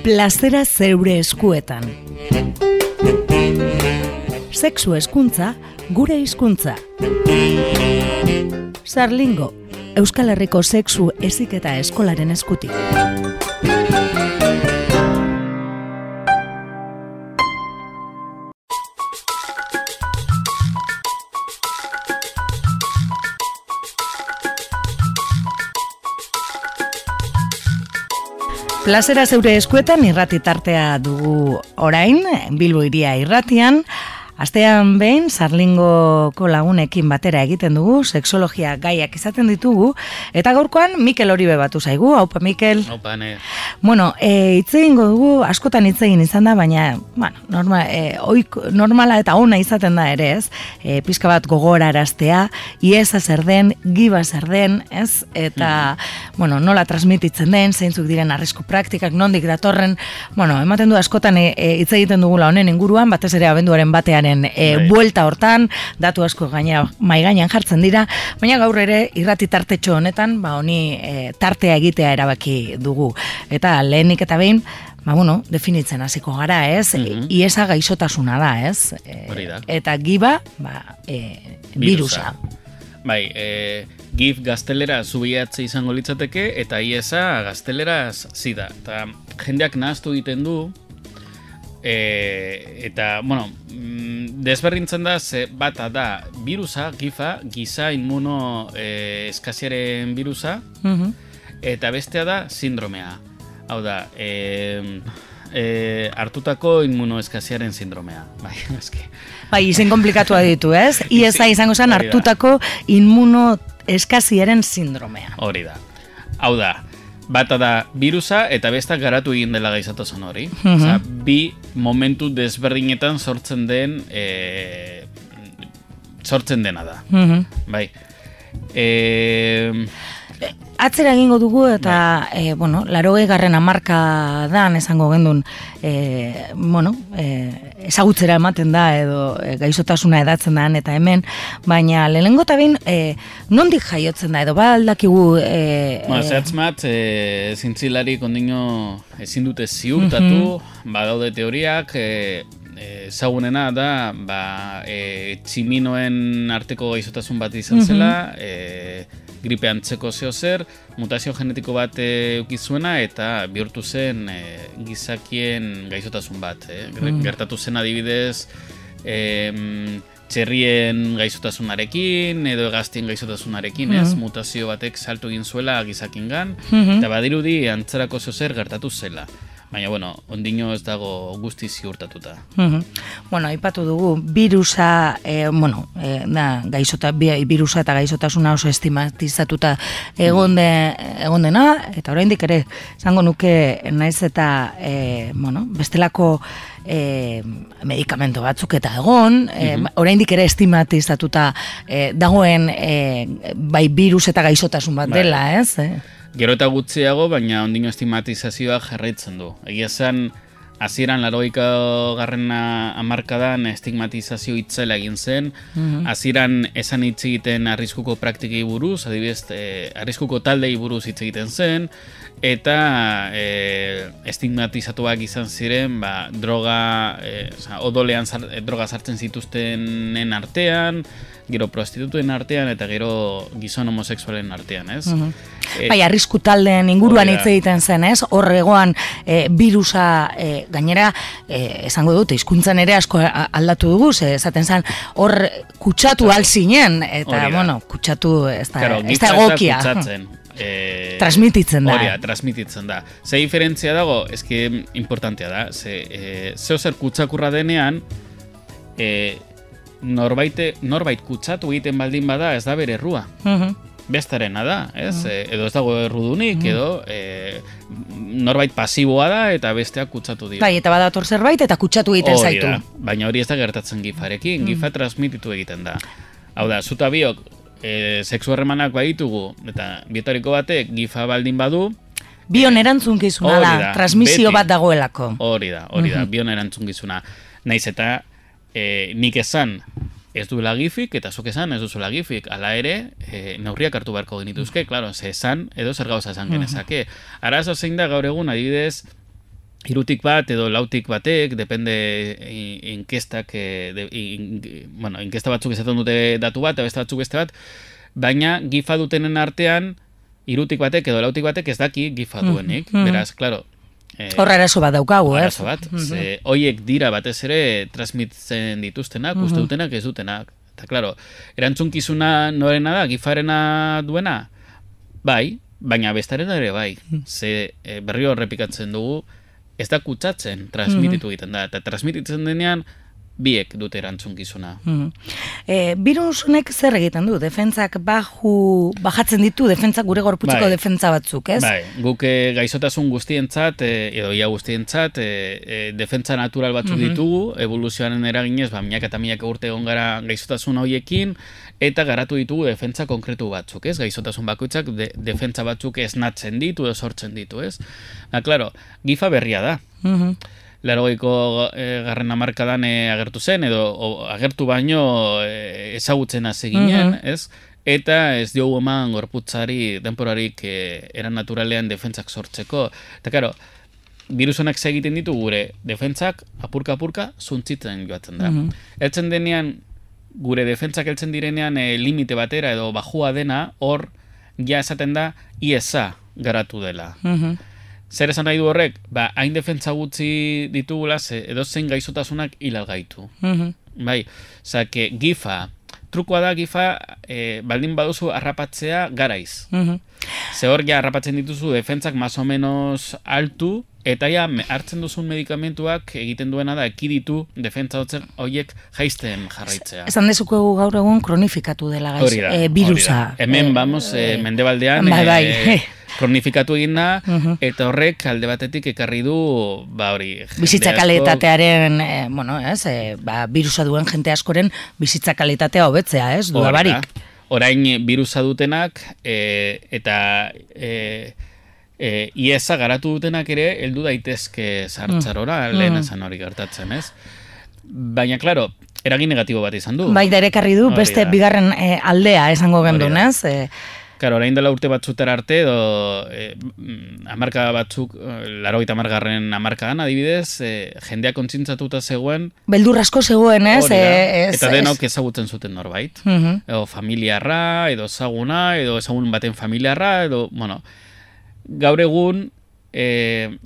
Plazera zeure eskuetan. Sexu hezkuntza, gure hizkuntza. Sarlingo, Euskal Herriko sexu heziketa eskolaren eskutik. Plazera zeure eskuetan irrati tartea dugu orain, Bilbo Hiria irratian. Astean behin, Sarlingoko lagunekin batera egiten dugu, sexologia gaiak izaten ditugu, eta gaurkoan Mikel Oribe batu zaigu. Haupa, Mikel. Haupa, ne. Bueno, hitz egingo dugu, askotan hitz egin izan da, baina, normala eta ona izaten da ere, ez? Pizka bat gogoraraztea, iesa zer den, giba zer den, ez? Eta, nola transmititzen den, zeintzuk diren arrisku praktikak, nondik datorren, ematen du askotan hitz egiten dugula honen inguruan, batez ere abenduaren batean buelta hortan, datu asko gainera mai gainean jartzen dira, baina gaur ere irrati tartetxo honetan, honi tartea egitea erabaki dugu. Eta lehenik eta behin, definitzen hasiko gara, ez? Iesa gaixotasuna da, ez? Eta giba, virusa. Bai, gif gaztelera zubiatze izango litzateke, eta iesa gaztelera zida. Eta jendeak nahaztu egiten du, eta, desberdintzen da, bata da virusa, gifa, giza inmuno eskasiaren virusa, eta bestea da sindromea. Hau da, hartutako inmuno eskasiaren sindromea. Bai, izen komplikatua ditu, ez? IESA izango zen hartutako inmuno eskasiaren sindromea. Hori da. Hau da, bata da virusa eta bestak garatu egin dela gaixotasun hori. Bi momentu desberdinetan sortzen dena da. Bai. Atzera egingo dugu eta, 80. hamarkadan esango gendun, ezagutzera ematen da edo gaixotasuna edatzen da eta hemen, baina lehenengo eta behin nondik jaiotzen da edo aldakigu... Zehatzmat, zintzilarik ondino ezin dute ziurtatu, badaude teoriak, ezagunena da, tximinoen arteko gaixotasun bat izan zela, gripe antzeko zer, mutazio genetiko bat eukizuena eta bihurtu zen gizakien gaixotasun bat. Gertatu zen adibidez txerrien gaixotasunarekin edo hegaztien gaixotasunarekin, mutazio batek saltu egin zuela gizakingan, eta badirudi antzerako zer gertatu zela. Baina, ondino ez dago guzti ziurtatuta. Aipatu dugu, virusa, virusa eta gaixotasuna oso estigmatizatuta egon dena, eta oraindik ere, zango nuke naiz eta, bestelako medikamento batzuk eta egon, oraindik ere estigmatizatuta dagoen bai virus eta gaixotasun bat dela, ez? Gero eta gutxiago, baina ondino estigmatizazioa jarraitzen du. Egia zen, hasieran 80. hamarkadan estigmatizazio itzela egin zen, hasieran esan hitz egiten arriskuko praktikei buruz, adibidez, arriskuko taldei buruz hitz egiten zen, eta estigmatizatuak izan ziren, odolean droga sartzen zituztenen artean, gero prostitutuen artean eta gero gizon homosexualen artean, ez? Bai, arrisku taldeen inguruan hitz egiten zen, ez? Hor egoan virusa gainera, esango dute, hizkuntzan ere asko aldatu dugu, esaten zen, hor kutsatu alzinen, eta, kutsatu ez da egokia. Transmititzen da. Hori da, transmititzen da. Ze diferentzia dago, eske importantea da, zeo zer kutsakurra denean, norbait kutsatu egiten baldin bada ez da bere errua. Bestarena da, ez? Edo ez dago errudunik, edo norbait pasiboa da eta besteak kutsatu dira. Bai, eta badator zerbait eta kutsatu egiten zaitu. Baina hori ez da gertatzen gifarekin, gifa transmititu egiten da. Hau da, zuta biok, sexu harremanak baditugu, eta bietariko batek gifa baldin badu, bion erantzunkizuna da, transmisio bat dagoelako. Hori da, bion erantzunkizuna. Naiz eta nik esan ez duela gifik, eta zuk esan ez duzuela gifik. Hala ere, neurriak hartu beharko genituzke, klaro, ze esan edo zer gauza esan genezake. Arazo zein da gaur egun, adibidez, hirutik bat edo lautik batek, depende inkestak, inkesta batzuk esaten dute datu bat, eta beste batzuk beste bat, baina gifa dutenen artean, hirutik batek edo lautik batek ez daki gifa duenik, beraz, klaro, Horra arazo bat daukagu, arazo bat, hoiek dira batez ere transmititzen dituztenak, uste dutenak ez dutenak. Eta, klaro, erantzunkizuna norena da, gifarena duena? Bai, baina bestarena ere bai. Ze berriro errepikatzen dugu, ez da kutsatzen, transmititu egiten da. Eta transmititzen denean, biek dute erantzunkizuna. Virus honek zer egiten du? Defentsak bajatzen ditu, defentsak gure gorputzeko defentsa batzuk, ez? Bai, guk gaixotasun guztientzat, edo ia guztientzat, defentsa natural batzuk ditugu, evoluzioaren eraginez, milaka eta milaka urte egon gara gaixotasun horiekin, eta garatu ditugu defentsa konkretu batzuk, ez? Gaixotasun bakoitzak defentsa batzuk esnatzen ditu, edo sortzen ditu, ez? Klaro, gifa berria da. 80ko garren hamarkadan agertu zen, edo agertu baino ezagutzen hasi ginen, ez? Eta ez diogu eman gorputzari denporarik eran naturalean defentsak sortzeko. Eta karo, virusonak egiten ditu gure defentsak apurka-apurka zuntzitzen joatzen da. Eltzen denean, gure defentsak heltzen direnean limite batera edo bajua dena, hor ja esaten da ISA garatu dela. Zer esan nahi du horrek? Hain defentsa gutxi ditugula, edo zein gaixotasunak hilal gaitu. Bai, zake, gifa, trukoa da gifa, baldin baduzu harrapatzea garaiz. Ze hor ja harrapatzen dituzu defentsak más o menos altu, eta ja hartzen duzun medikamentuak egiten duena da ekiditu defentsa horiek jaisten jarraitzea. Esan dezukegu gaur egun kronifikatu dela virusa. Hemen, mendebaldean, kronifikatu egin da, eta horrek alde batetik ekarri du, bizitza kalitatearen, virusa duen jente askoren bizitza kalitatea hobetzea, ez? Duda barik. Orain virusa dutenak, eta IESA garatu dutenak ere, heldu daitezke sartzarora, lehen esan hori gertatzen, ez? Baina, klaro, eragin negatibo bat izan du. Bai, da ere ekarri du, beste bigarren aldea esango gendun, ez? Claro, orain dela urte batzutera arte, hamarka batzuk, 80garren hamarkadan adibidez, jendea kontzintzatuta zegoen. Beldur asko zegoen, ez? Eta denok ezagutzen zuten norbait. Edo familiarra, edo ezaguna, edo ezagun baten familiarra, edo, gaur egun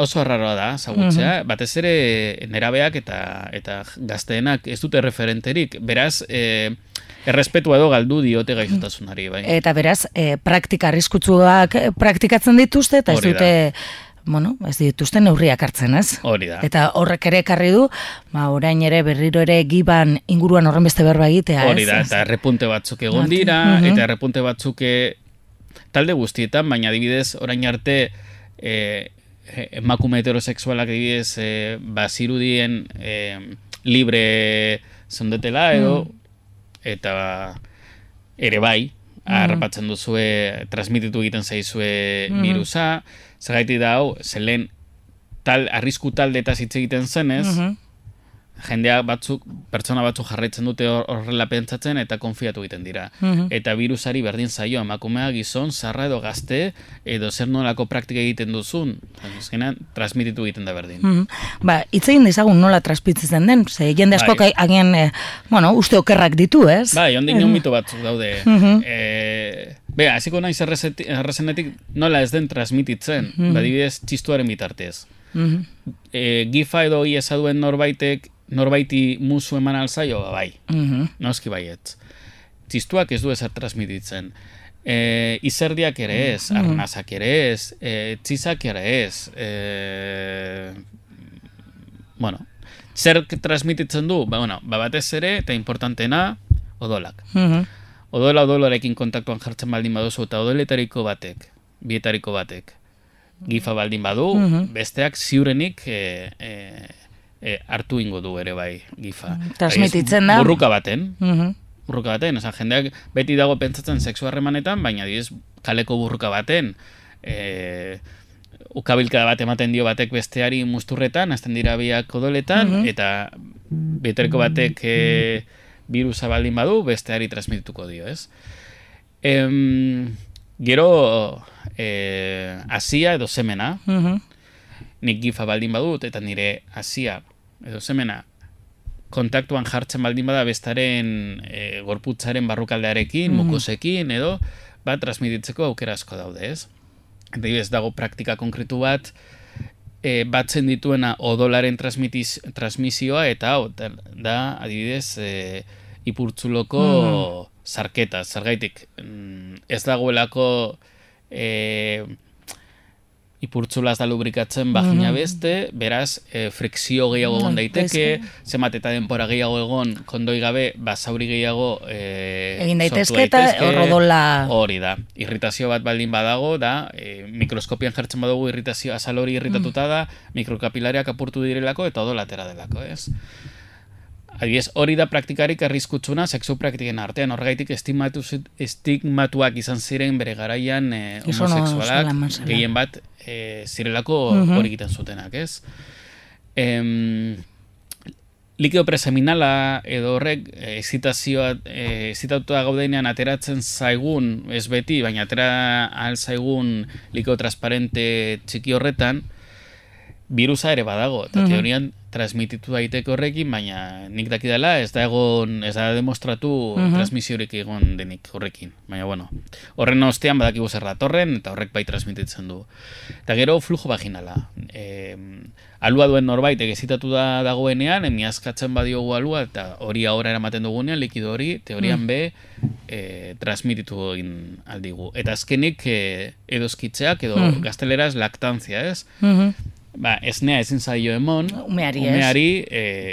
oso arraroa da ezagutzea, batez ere nerabeak eta gazteenak ez dute referenterik, beraz, errespetua edo galdu diote gaixotasunari, bai. Eta beraz, praktika arriskutsuak praktikatzen dituzte, eta ez dute, ez dituzte neurriak hartzen, ez? Hori da. Eta horrek ere ekarri du, orain ere berriro ere giban inguruan horren beste berba egitea, ez? Hori da, eta errepunte batzuk egon dira, eta errepunte batzuk talde guztietan, baina adibidez, orain arte, emakume heterosexualak adibidez, bazirudien libre zondetela, edo, eta ere bai, harrapatzen duzue, transmititu egiten zaizue virusa, zergaiti da hau, zelen arrisku taldeetaz hitz egiten zenez, jendea batzuk, pertsona batzuk jarraitzen dute horrela pentsatzen eta konfiatu egiten dira. Eta virusari berdin zaio, emakumea, gizon, zarra edo gazte, edo zer nolako praktika egiten duzun, transmititu egiten da berdin. Hitz egin dezagun nola transmititzen den, ze jende askok agian, uste okerrak ditu, ez? Bai, ondik nion mito batzuk daude. Hasiko naiz errezenetik nola ez den transmititzen, badibidez txistuaren bitartez. Gifa edo IESA duen norbaiti musu eman alzaio, bai. Noski baietz. Txistuak ez du ezer transmititzen. Izerdiak ere ez, arnazak ere ez, txizak ere ez. Zer transmititzen du? Batez ere, eta importantena, odolak. Odolarekin kontaktuan jartzen baldin baduzu, eta odoletariko batek, bietariko batek, gifa baldin badu, besteak ziurenik hartu ingo du ere bai gifa. Transmititzen da. Burruka baten, jendeak beti dago pentsatzen sexu harremanetan, baina diez kaleko burruka baten, ukabilkada bat ematen dio batek besteari musturretan, azten dira biak odoletan, eta bietariko batek virusa baldin badu, besteari transmitituko dio, ez? Gero, hasia edo semena, nik gifa baldin badut, eta nire hasia, edo semena, kontaktuan jartzen baldin bada bestaren gorputzaren barrukaldearekin, mukosekin, edo, transmititzeko aukera asko daude, ez? Eta ez dago praktika konkretu bat, batzen dituena odolaren transmisioa, eta da, adibidez, ipurtzuloko zarketa, zergaitik, ez dagoelako ipurtzulaz da lubrikatzen vagina beste, beraz, frikzio gehiago egon daiteke, zenbat eta denpora gehiago egon, kondoi gabe, zauri gehiago egin daitezke eta horrodola... Hori da, irritazio bat baldin badago, da, mikroskopian jartzen badugu irritazio, azal hori irritatuta da, mikrokapilariak apurtu direlako eta odolatera delako, ez? Adibidez, hori da praktikarik arriskutsuna sexu praktiken artean, horregaitik estigmatuak izan ziren bere garaian homosexualak, gehien bat zirelako hori egiten zutenak, ez? Likeo preseminala edo horrek excitatuta gaudenean ateratzen zaigun, ez beti, baina atera ahal zaigun likeo transparente txiki horretan, virusa ere badago, eta teorian transmititu daiteke horrekin, baina nik dakidala ez da demostratu transmisiorik egon denik horrekin. Baina, bueno, horren ostean badakigu zer datorren, eta horrek bai transmititzen du. Eta gero flujo vaginala. Alua duen norbait egezitatu dagoenean, emiazkatzen badiogu alua, eta hori ahora eramaten dugunean, likido hori, teorian transmititu egin aldigu. Eta azkenik edozkitzeak, edo gazteleraz laktantzia, ez? Esnea ezin zaio emon, umeari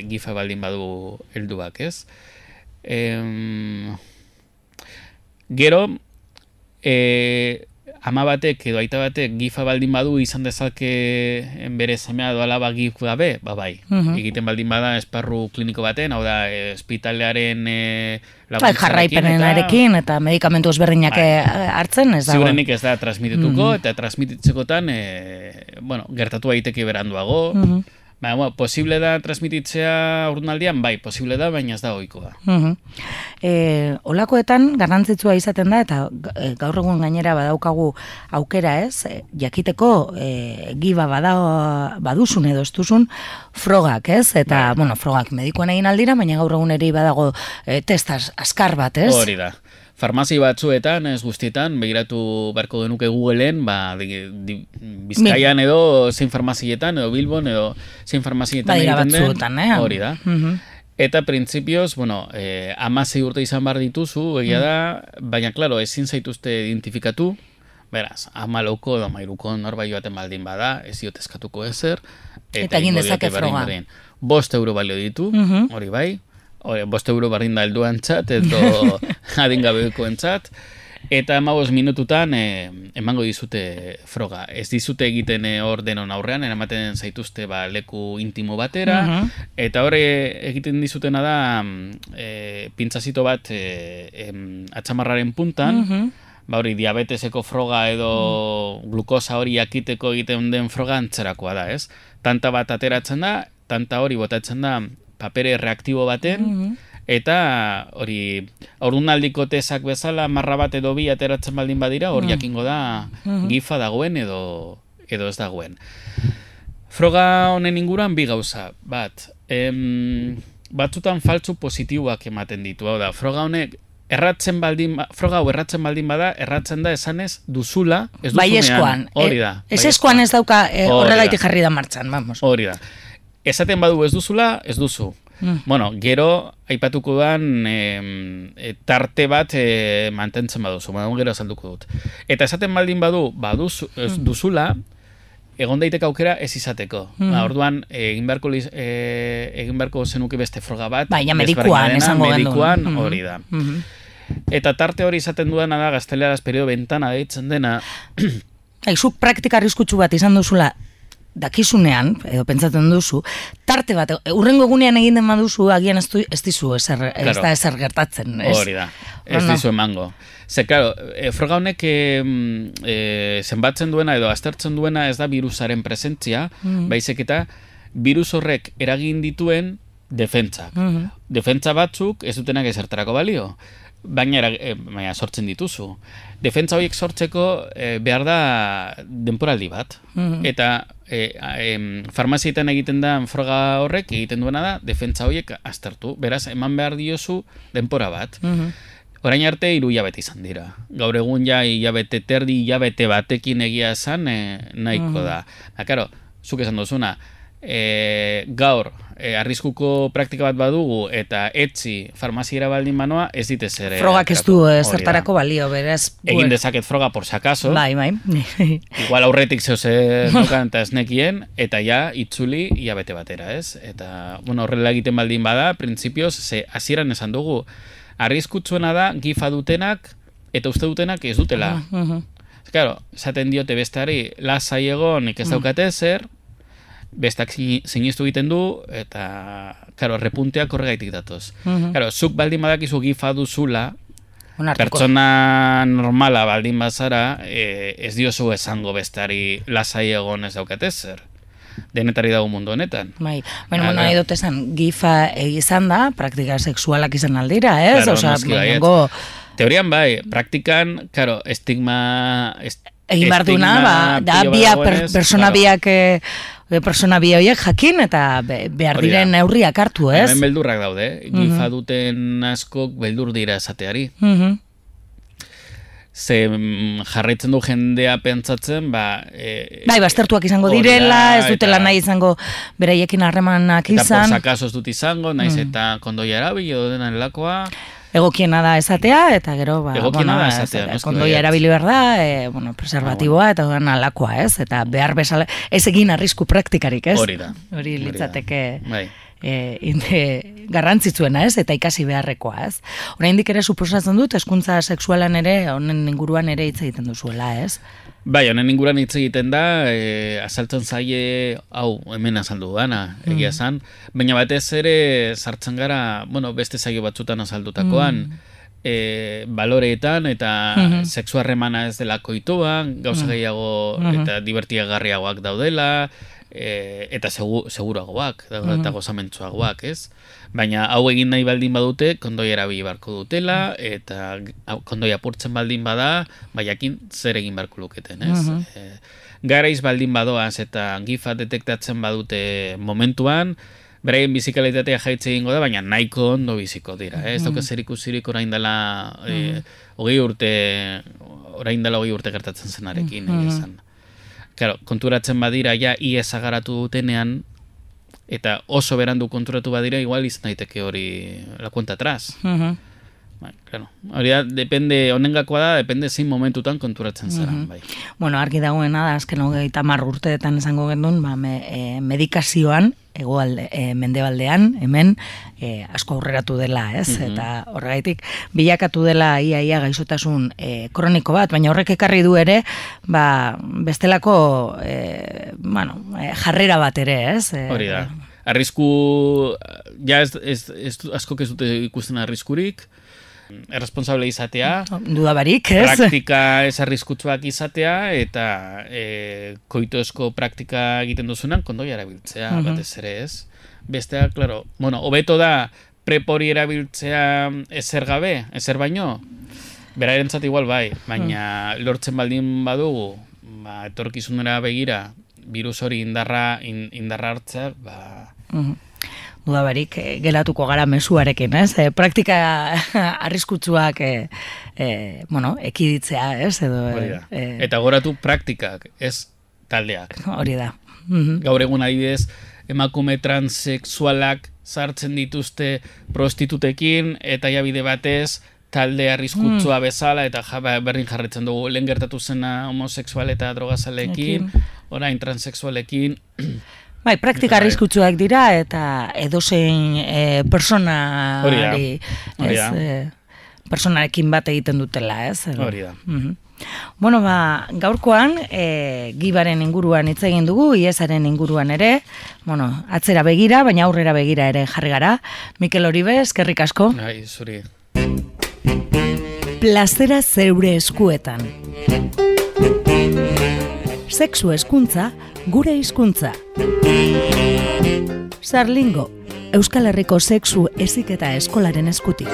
gifa baldin badu helduak, ez? Gero, ama batek edo aita batek gifa baldin badu izan dezake bere semea edo alaba gif gabe, bai. Egiten baldin bada esparru kliniko baten, hau da, ospitalearen jarraipenarekin eta medikamentu ezberdinak hartzen, ez dago. Ziurenik ez da transmitituko, eta transmititzekotan, gertatu daiteke beranduago. Posible da transmititzea urdunaldian? Bai, posible da, baina ez da ohikoa. Olakoetan garrantzitsua izaten da, eta gaur egun gainera badaukagu aukera, ez? Jakiteko giba baduzun edo ez duzun frogak, ez? Eta, frogak medikoan egin aldira, baina gaur egun ere badago testas askar bat, ez? Hori da. Farmazi batzuetan, ez guztietan, begiratu beharko genuke Googleen, Bizkaian edo zein farmazietan, edo Bilbon, edo zein farmazietan egiten den. Hori da. Eta printzipioz, 16 urte izan behar dituzu, egia da, baina, klaro, ezin zaituzte identifikatu, beraz, 14 edo 13 norbait joaten baldin bada, ez diot eskatuko ezer, eta egin dezake froga. 5 euro balio ditu, hori bai, 5 euro bardin da helduan txat, edo adingabeko entzat, eta 15 minututan emango dizute froga. Ez dizute egiten hor denon aurrean, eramaten zaituzte leku intimo batera, eta hor egiten dizutena da pintzazito bat atxamarraren puntan, hori diabeteseko froga edo glukosa hori jakiteko egiten den froga antzerakoa da, ez? Tanta bat ateratzen da, tanta hori botatzen da papere reaktibo baten, eta hori haurdunaldiko tesak bezala marra bat edo bi ateratzen baldin badira, hor jakingo da gifa dagoen edo ez dagoen. Froga honen inguruan bi gauza, bat, batzutan faltzu positiboak ematen ditu, hau da, froga honek froga hau erratzen baldin bada, erratzen da esanez duzula, ez duzunean. Baiezkoan. Hori da. Ez eskuan ez dauka horregaitik jarri da martxan, vamos. Hori da. Esaten badu ez duzula, ez duzu. Gero, aipatuko dan tarte bat mantentzen baduzu. Gero azalduko dut. Eta esaten baldin badu, ez duzula, egon daiteke aukera ez izateko. Orduan, egin beharko zenuke beste froga bat. Baina medikuan, esango gandu. Medikuan, hori da. Eta tarte hori izaten duena da, gazteleraz periodo ventana deitzen dena. Zuk praktika arriskutsu bat izan duzula, dakizunean, edo pentsatzen duzu, tarte bat, urrengo egunean egin den baduzu, agian ez dizu ez da ezer gertatzen. Hori da, ez dizu emango. Ze, klaro, froga honek zenbatzen duena edo aztertzen duena ez da virusaren presentzia, baizik eta virus horrek eragin dituen defentsak. Defentsa batzuk ez dutenak ezertarako balio. baina sortzen dituzu. Defentsa horiek sortzeko behar da denporaldi bat. Eta farmazietan egiten da froga horrek egiten duena da defentsa horiek aztertu. Beraz, eman behar diozu denpora bat. Orain arte 3 hilabete izan dira. Gaur egun ja hilabete batekin egia esan nahiko da. Karo, zuk esan duzuna, gaur arriskuko praktika bat badugu eta etzi farmaziera baldin banoa, ez dite zer. Frogak ez du zertarako balio, beraz. Egin dezaket froga por si acaso. Bai. Igual aurretik zehose dukan eta esnekien, eta ja itzuli hilabete batera, ez? Eta, horrela egiten baldin bada, printzipioz, hasieran esan dugu, arriskutsuena da gifa dutenak eta uste dutenak ez dutela. Claro, esaten diote besteari lasai egon ez daukate zer, bestak sinistu egiten du eta claro, repunteak horregaitik datoz. Claro, zuk baldin badakizu gifa duzula, pertsona normala baldin bazara, ez diozu esango besteari lasai egon ez daukate zer. Denetari dago mundu honetan. Bai, nahi dut esan, gifa izan da, praktika sexualak izan aldira, ez? Claro, teorian bai, praktikan, claro, estigma... Egin behar duna, da persona bi horiek jakin eta behar diren neurriak hartu, ez? Hemen beldurrak daude, gifa duten askok beldur dira esateari. Ze jarraitzen du jendea pentsatzen, bai, baztertuak izango direla, ez dutela nahi izango beraiekin harremanak izan. Eta por sakaso ez dut izango, naiz eta kondoia erabili edo denan lakoa. Egokiena da esatea, eta gero, kondoia erabili behar da, preservatiboa, eta dudan alakoa, ez? Eta behar bezala, ez egin arrisku praktikarik, ez? Hori litzateke garrantzitsuena, ez? Eta ikasi beharrekoa, ez? Oraindik ere suposatzen dut, hezkuntza sexualan ere, honen inguruan ere hitz egiten duzuela, ez? Bai, honen inguruan hitz egiten da, azaltzen zaie, hemen azaldu dana, egia zan, baina batez ere sartzen gara, beste zaio batzutan azaldutakoan, baloreetan eta sexu harremana ez dela koituan, gauza gehiago eta divertiagarriagoak daudela, eta seguruagoak, eta gozamentzuagoak, ez? Baina hau egin nahi baldin badute, kondoi erabili barko dutela, eta kondoi apurtzen baldin bada, jakin zer egin barko luketen, ez? Garaiz baldin badoaz eta gifa detektatzen badute momentuan, beraien bizikalitatea jaitze egingo da, baina nahiko ondo biziko dira, ez? Dauka zer ikusirik orain dela 20 urte gertatzen zenarekin, egizan. Claro, konturatzen badira ja ies agaratu dutenean, eta oso berandu konturatu badira, igual izan daiteke hori la cuenta atrás. Claro, hori da, depende, honengakoa da, depende zein momentutan konturatzen zara. Bai. Argi dagoena da, azken 30 urteetan esango gendun, medikazioan, mendebaldean, hemen, asko aurreratu dela, ez? Eta horregaitik, bilakatu dela ia gaixotasun kroniko bat, baina horrek ekarri du ere, bestelako, jarrera bat ere, ez? Hori da. Arrisku, ja askok ez dute ikusten arriskurik, erresponsable izatea, dudabarik, ez? Praktika ez arriskutsuak izatea, eta koitoezko praktika egiten duzunan, kondoia erabiltzea, batez ere, ez? Bestea, claro, hobeto da prepori erabiltzea ezer gabe, ezer baino, berarentzat igual bai, baina lortzen baldin badugu, etorkizunera begira, virus hori indarra hartzea, dudabarik, gelatuko gara mezuarekin, ez? Praktika arriskutsuak ekiditzea, ez? Eta goratu praktikak, ez taldeak. Hori da. Gaur egun adibidez, emakume transexualak sartzen dituzte prostitutekin, eta bide batez, talde arriskutsua bezala, eta berdin jarretzen dugu, lehen gertatu zena homosexual eta drogazalekin, orain transexualekin. Bai, praktika arriskutsuak dira, eta edozein personarekin bat egiten dutela, ez? Hori da. Gaurkoan, gibaren inguruan hitz egin dugu, iesaren inguruan ere, atzera begira, baina aurrera begira ere jarri gara. Mikel Oribe, eskerrik asko. Ai, zuri. Plazera zeure eskuetan. Sexu hezkuntza, gure hizkuntza. Sarlingo, Euskal Herriko sexu heziketa eskolaren eskutik.